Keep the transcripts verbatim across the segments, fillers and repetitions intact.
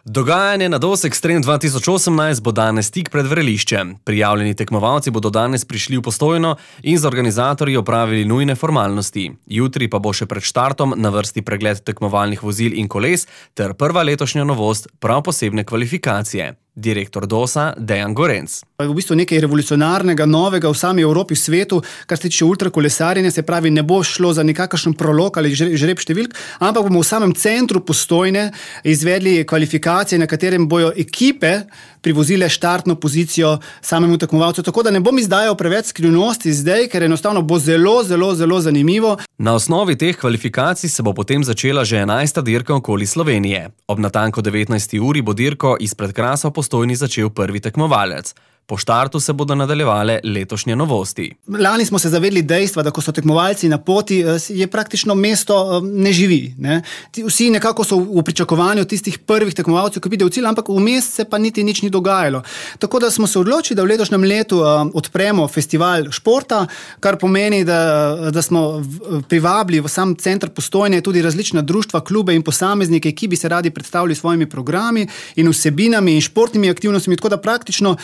Dogajanje na DOS Extreme dva tisoč osemnajst bo danes tik pred vreliščem. Prijavljeni tekmovalci bodo danes prišli v Postojno in z organizatorji opravili nujne formalnosti. Jutri pa bo še pred štartom na vrsti pregled tekmovalnih vozil in koles ter prva letošnja novost, prav posebne kvalifikacije. Direktor DOS-a Dejan Gorenc. V bistvu nekaj revolucionarnega, novega v sami Evropi, v svetu, kar se tiče ultrakolesarjenja, se pravi, ne bo šlo za nekakšen prolog ali žreb številk, ampak bomo v samem centru Postojne izvedli kvalifikacije, na katerem bojo ekipe privozile štartno pozicijo samemu tekmovalcu. Tako da ne bom izdajal preveč skrivnosti zdaj, ker enostavno bo zelo, zelo, zelo zanimivo. Na osnovi teh kvalifikacij se bo potem začela že enajsta dirka okoli Slovenije. Ob natanko devetnajsti uri bo dirko izpred Krasa v Postojni začel prvi tekmovalec. Po štartu se bodo nadaljevale letošnje novosti. Lani smo se zavedli dejstva, da ko so tekmovalci na poti, je praktično mesto ne živi. Ne? Vsi nekako so v pričakovanju tistih prvih tekmovalcev, ki pridejo v cilj, ampak vmes se pa niti nič ni dogajalo. Tako da smo se odločili, da v letošnjem letu odpremo festival športa, kar pomeni, da, da smo privabili v sam center Postojne tudi različna društva, klube in posameznike, ki bi se radi predstavili svojimi programi in vsebinami in športnimi aktivnostmi, tako da praktično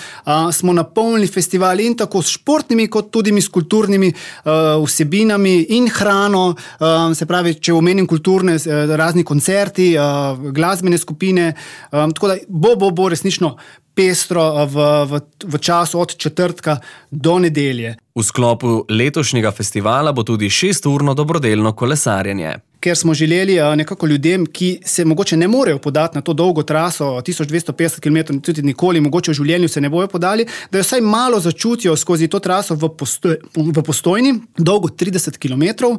smo napolnili festival in tako s športnimi, kot tudi s kulturnimi uh, vsebinami in hrano, uh, se pravi, če omenim kulturne, uh, razni koncerti, uh, glasbene skupine, um, tako da bo, bo, bo resnično pestro v, v, v času od četrtka do nedelje. V sklopu letošnjega festivala bo tudi šesturno dobrodelno kolesarjenje. Ker smo želeli nekako ljudem, ki se mogoče ne morejo podati na to dolgo traso, tisoč dvesto petdeset kilometrov, tudi nikoli, mogoče v življenju se ne bojo podali, da jo vsaj malo začutijo skozi to traso v, Postoj, v Postojni, dolgo trideset kilometrov,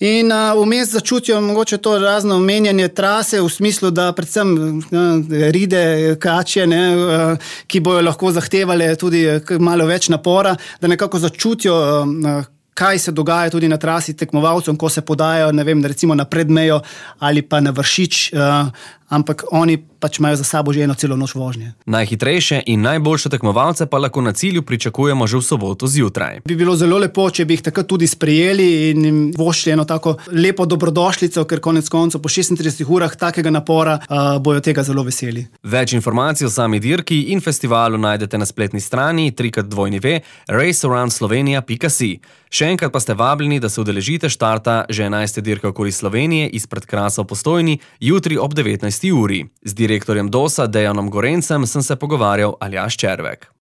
in vmes začutijo mogoče to razno menjanje trase v smislu, da predvsem ne, ride, kače, ne, ki bojo lahko zahtevale tudi malo več napora, da nekako začutijo, kaj se dogaja tudi na trasi tekmovalcem, ko se podajo, ne vem, recimo na Predmejo ali pa na Vršič, uh, ampak oni pač imajo za sabo že eno celo noč vožnje. Najhitrejše in najboljše tekmovalce pa lahko na cilju pričakujemo že v soboto zjutraj. Bi bilo zelo lepo, če bi jih takrat tudi sprejeli in jim vošli eno tako lepo dobrodošlico, ker konec koncev po šestintridesetih urah takega napora uh, bojo tega zelo veseli. Več informacij o sami dirki in festivalu najdete na spletni strani w w w pika race around slovenia pika si. Še enkrat pa ste vabljeni, da se udeležite štarta že enajste dirke okoli Slovenije izpred Krasa v Postojni jutri ob devetnajsti uri. Z direktorjem DOS-a Dejanom Gorencem sem se pogovarjal Aljaž Červek.